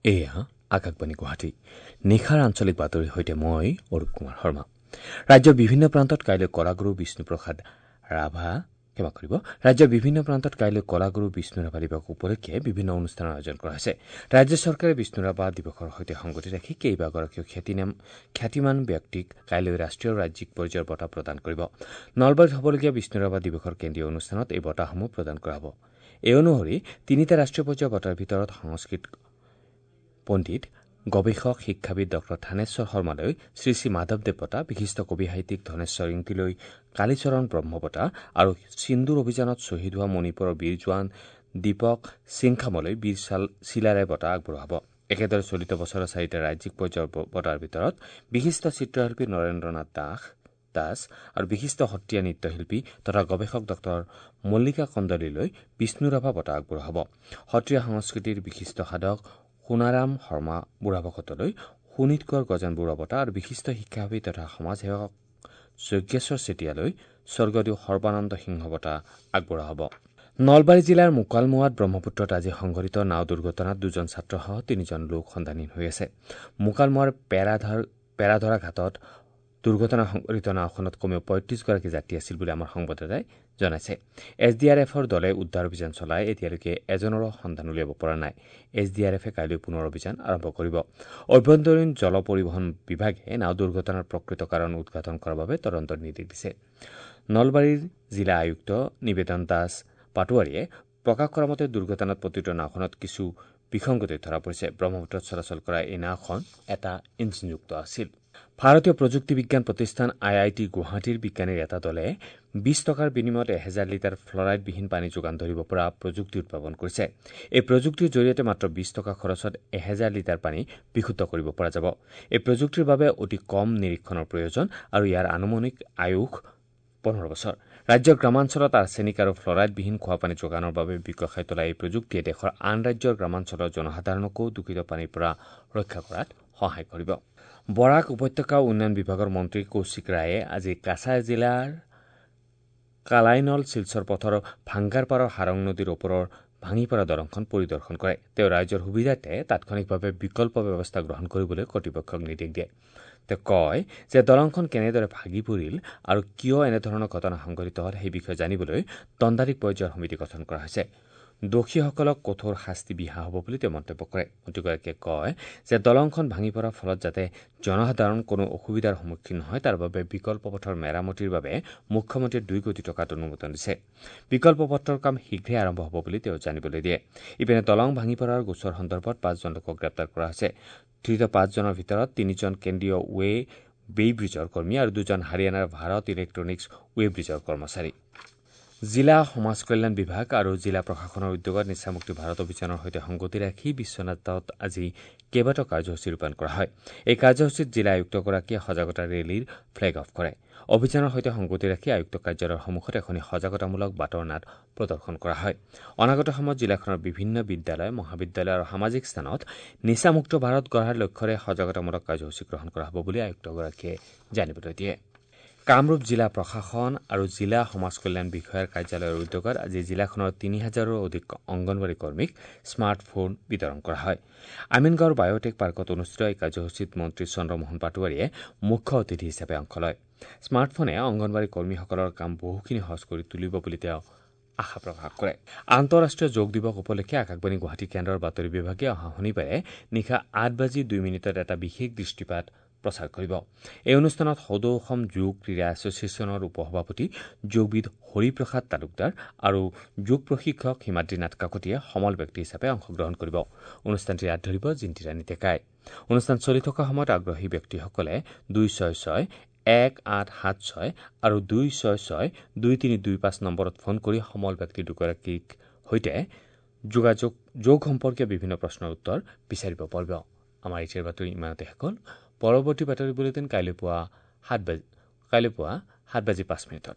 এয়া আকাশবাণী গুৱাহাটী। নিশাৰ আঞ্চলিক বাতৰিৰ সৈতে মই অৰূপ কুমাৰ শৰ্মা। ৰাজ্যৰ বিভিন্ন প্ৰান্তত কাইলৈ কলাগুৰু বিষ্ণুপ্ৰসাদ ৰাভা ক্ষমা কৰিব ৰাজ্যৰ বিভিন্ন প্ৰান্তত কাইলৈ কলাগুৰু বিষ্ণু ৰাভা দিৱস উপলক্ষে বিভিন্ন অনুষ্ঠানৰ আয়োজন কৰা হৈছে। ৰাজ্য চৰকাৰে বিষ্ণু ৰাভা দিৱসৰ সৈতে সংগতি ৰাখি কেইবাগৰাকীও খ্যাতিমান ব্যক্তিক কাইলৈ ৰাষ্ট্ৰীয় ৰাজ্যিক পৰ্যায়ৰ বঁটা প্ৰদান কৰিব। নলবাৰীত হ'বলগীয়া বিষ্ণু ৰাভা দিৱসৰ কেন্দ্ৰীয় অনুষ্ঠানত এই বঁটাসমূহ প্ৰদান কৰা হ'ব। এই অনুসৰি তিনিটা ৰাষ্ট্ৰীয় পৰ্যায়ৰ বঁটাৰ ভিতৰত সংস্কৃত পণ্ডিত, গৱেষক, শিক্ষাবিদ ডঃ থানেশ্বৰ শৰ্মালৈ শ্ৰী শ্ৰী মাধৱদেৱ বঁটা, বিশিষ্ট কবি সাহিত্যিক ধনেশ্বৰ ইংতিলৈ কালীচৰণ ব্ৰহ্ম বঁটা আৰু সিন্দুৰ অভিযানত শ্বহীদ হোৱা মণিপুৰৰ বীৰ জোৱান দীপক সিংখামলৈ বীৰ চিলাৰায় বঁটা আগবঢ়োৱা হ'ব। একেদৰে চলিত বছৰৰ চাৰিটা ৰাজ্যিক পৰ্যায়ৰ বঁটাৰ ভিতৰত বিশিষ্ট চিত্ৰশিল্পী নৰেন্দ্ৰনাথ দাস আৰু বিশিষ্ট সত্ৰীয়া নৃত্যশিল্পী তথা গৱেষক ডঃ মল্লিকা কন্দলীলৈ বিষ্ণু ৰাভা বঁটা আগবঢ়োৱা হ'ব। সত্ৰীয়া সংস্কৃতিৰ বিশিষ্ট সাধক সোণাৰাম শৰ্মা বুঢ়াভকতলৈ শোণিত কোঁৱৰ গজেন বৰুৱা বঁটা আৰু বিশিষ্ট শিক্ষাবিদ তথা সমাজসেৱক যজ্ঞেশ্বৰ চেতিয়ালৈ স্বৰ্গদেউ সৰ্বানন্দ সিংহ বঁটা আগবঢ়োৱা হ'ব। নলবাৰী জিলাৰ মুকালমুৱাত ব্ৰহ্মপুত্ৰত আজি সংঘটিত নাও দুৰ্ঘটনাত দুজন ছাত্ৰসহ তিনিজন লোক সন্ধানহীন হৈ আছে। মুকালমুৱাৰ পেৰাধৰা ঘাটত দুৰ্ঘটনা সংঘটিত নাওখনত কমেও ৩৫গৰাকী যাত্ৰী আছিল বুলি আমাৰ সংবাদদাতাই জনাইছে। এছ ডি আৰ এফৰ দলে উদ্ধাৰ অভিযান চলাই এতিয়ালৈকে এজনৰো সন্ধান উলিয়াব পৰা নাই। এছ ডি আৰ এফে কাইলৈ পুনৰ অভিযান আৰম্ভ কৰিব। অভ্যন্তৰীণ জল পৰিবহণ বিভাগে নাও দুৰ্ঘটনাৰ প্ৰকৃত কাৰণ উদ্ঘাটন কৰাৰ বাবে তদন্তৰ নিৰ্দেশ দিছে। নলবাৰীৰ জিলা আয়ুক্ত নিবেদন দাস পাটোৱাৰীয়ে প্ৰকাশ কৰা মতে দুৰ্ঘটনাত পতিত নাওখনত কিছু বিসংগতি ধৰা পৰিছে। ব্ৰহ্মপুত্ৰত চলাচল কৰা এই নাওখন এটা ইঞ্জিনযুক্ত আছিল। ভাৰতীয় প্ৰযুক্তি বিজ্ঞান প্ৰতিষ্ঠান আই I T গুৱাহাটীৰ বিজ্ঞানীৰ এটা দলে ২০ টকাৰ বিনিময়ত ১০০০ লিটাৰ ফ্লৰাইডবিহীন পানী যোগান ধৰিব পৰা প্ৰযুক্তি উদ্ভাৱন কৰিছে। এই প্ৰযুক্তিৰ জৰিয়তে মাত্ৰ ২০ টকা খৰচত ১০০০ লিটাৰ পানী বিশুদ্ধ কৰিব পৰা যাব। এই প্ৰযুক্তিৰ বাবে অতি কম নিৰীক্ষণৰ প্ৰয়োজন আৰু ইয়াৰ আনুমানিক আয়ুস ১৫ বছৰ। ৰাজ্যৰ গ্ৰামাঞ্চলত আৰ্ছেনিক আৰু ফ্লৰাইডবিহীন খোৱাপানী যোগানৰ বাবে বিকশাই তোলা এই প্ৰযুক্তিয়ে দেশৰ আন ৰাজ্যৰ গ্ৰামাঞ্চলৰ জনসাধাৰণকো দূষিত পানীৰ পৰা ৰক্ষা কৰাত সহায় কৰিব। বৰাক উপত্যকা উন্নয়ন বিভাগৰ মন্ত্ৰী কৌশিক ৰায়ে আজি কাছাৰ জিলাৰ কালাইনল শিলচৰ পথৰ ভাংগাৰপাৰৰ হাৰং নদীৰ ওপৰৰ ভাঙি পৰা দলংখন পৰিদৰ্শন কৰে। তেওঁ ৰাইজৰ সুবিধাৰ্থে তাৎক্ষণিকভাৱে বিকল্প ব্যৱস্থা গ্ৰহণ কৰিবলৈ কৰ্তৃপক্ষক নিৰ্দেশ দিয়ে। তেওঁ কয় যে দলংখন কেনেদৰে ভাগি পৰিল আৰু কিয় এনেধৰণৰ ঘটনা সংঘটিত হ'ল সেই বিষয়ে জানিবলৈ দণ্ডাধীশ পৰ্যায়ৰ সমিতি গঠন কৰা হৈছে। দোষীসকলক কঠোৰ শাস্তি বিহা হ'ব বুলি তেওঁ মন্তব্য কৰে। মন্ত্ৰীগৰাকীয়ে কয় যে দলংখন ভাঙি পৰাৰ ফলত যাতে জনসাধাৰণ কোনো অসুবিধাৰ সন্মুখীন নহয় তাৰ বাবে বিকল্প পথৰ মেৰামতিৰ বাবে মুখ্যমন্ত্ৰীয়ে ২ কোটি টকাত অনুমোদন দিছে। বিকল্প পথৰ কাম শীঘ্ৰে আৰম্ভ হ'ব বুলি তেওঁ জানিবলৈ দিয়ে। ইপিনে দলং ভাঙি পৰাৰ গোচৰ সন্দৰ্ভত ৫জন লোকক গ্ৰেপ্তাৰ কৰা হৈছে। ধৃত ৫জনৰ ভিতৰত ৩জন কেন্দ্ৰীয় ৱে বেই ব্ৰিজৰ কৰ্মী আৰু ২জন হাৰিয়ানাৰ ভাৰত ইলেক্ট্ৰনিক্স ৱে ব্ৰিজৰ কৰ্মচাৰী। জিলা সমাজ কল্যাণ বিভাগ আৰু জিলা প্ৰশাসনৰ উদ্যোগত নিচামুক্তি ভাৰত অভিযানৰ সৈতে সংগতি ৰাখি বিশ্বনাথত আজি কেইবাটাও কাৰ্যসূচী ৰূপায়ণ কৰা হয়। এই কাৰ্যসূচীত জিলা আয়ুক্তগৰাকীয়ে সজাগতা ৰেলীৰ ফ্লেগ অফ কৰে। অভিযানৰ সৈতে সংগতি ৰাখি আয়ুক্ত কাৰ্যালয়ৰ সন্মুখত এখনি সজাগতামূলক বাটৰ নাট প্ৰদৰ্শন কৰা হয়। অনাগত সময়ত জিলাখনৰ বিভিন্ন বিদ্যালয়, মহাবিদ্যালয় আৰু সামাজিক স্থানত নিচামুক্ত ভাৰত গঢ়াৰ লক্ষ্যৰে সজাগতামূলক কাৰ্যসূচী গ্ৰহণ কৰা হ'ব বুলি আয়ুক্তগৰাকীয়ে জানিবলৈ দিয়ে। কামৰূপ জিলা প্ৰশাসন আৰু জিলা সমাজ কল্যাণ বিষয়াৰ কাৰ্যালয়ৰ উদ্যোগত আজি জিলাখনৰ ৩০০০ৰো অধিক অংগনবাড়ী কৰ্মীক স্মাৰ্টফোন বিতৰণ কৰা হয়। আমিনগাঁৱৰ বায়'টেক পাৰ্কত অনুষ্ঠিত এই কাৰ্যসূচীত মন্ত্ৰী চন্দ্ৰমোহন পাটোৱাৰীয়ে মুখ্য অতিথি হিচাপে অংশ লয়। স্মাৰ্টফোনে অংগনবাড়ী কৰ্মীসকলৰ কাম বহুখিনি সহজ কৰি তুলিব বুলি তেওঁ আশা প্ৰকাশ কৰে। আন্তঃৰাষ্ট্ৰীয় যোগ দিৱস উপলক্ষে আকাশবাণী গুৱাহাটী কেন্দ্ৰৰ বাতৰি বিভাগে অহা শনিবাৰে নিশা ৮:০২ এটা বিশেষ দৃষ্টিপাত প্ৰচাৰ কৰিব। এই অনুষ্ঠানত সদৌ অসম যোগ ক্ৰীড়া এছ'চিয়েশ্যনৰ উপসভাপতি যোগবিদ হৰিপ্ৰসাদ তালুকদাৰ আৰু যোগ প্ৰশিক্ষক হিমাদ্ৰীনাথ কাকতিয়ে সমল ব্যক্তি হিচাপে অংশগ্ৰহণ কৰিব। অনুষ্ঠানটিৰ আঁত ধৰিব জিন্তিৰাণী ডেকাই। অনুষ্ঠান চলি থকা সময়ত আগ্ৰহী ব্যক্তিসকলে ২৬৬ ১৮৭৬ আৰু ২৬৬ ২৩২৫ নম্বৰত ফোন কৰি সমল ব্যক্তি দুগৰাকীৰ সৈতে যোগাযোগ যোগ সম্পৰ্কীয় বিভিন্ন প্ৰশ্নৰ উত্তৰ বিচাৰিব পাৰিব। আমাৰ এতিয়াৰ বাতৰি ইমানতে শেষ হ'ল। পৰৱৰ্তী বাতৰি বুলেটিন কাইলৈ পুৱা ৭:০৫।